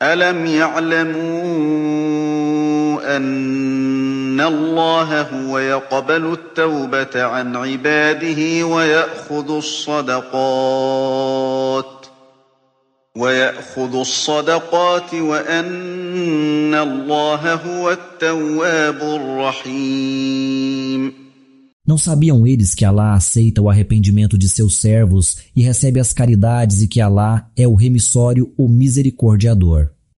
أَلَمْ يَعْلَمُوا أَنَّ اللَّهَ هُوَ يَقْبَلُ التَّوْبَةَ عَنْ عِبَادِهِ وَيَأْخُذُ الصَّدَقَاتِ وَأَنَّ اللَّهَ هُوَ التَّوَّابُ الرَّحِيمُ. Não sabiam eles que Alá aceita o arrependimento de seus servos e recebe as caridades e que Alá é o remissório, o misericordiador?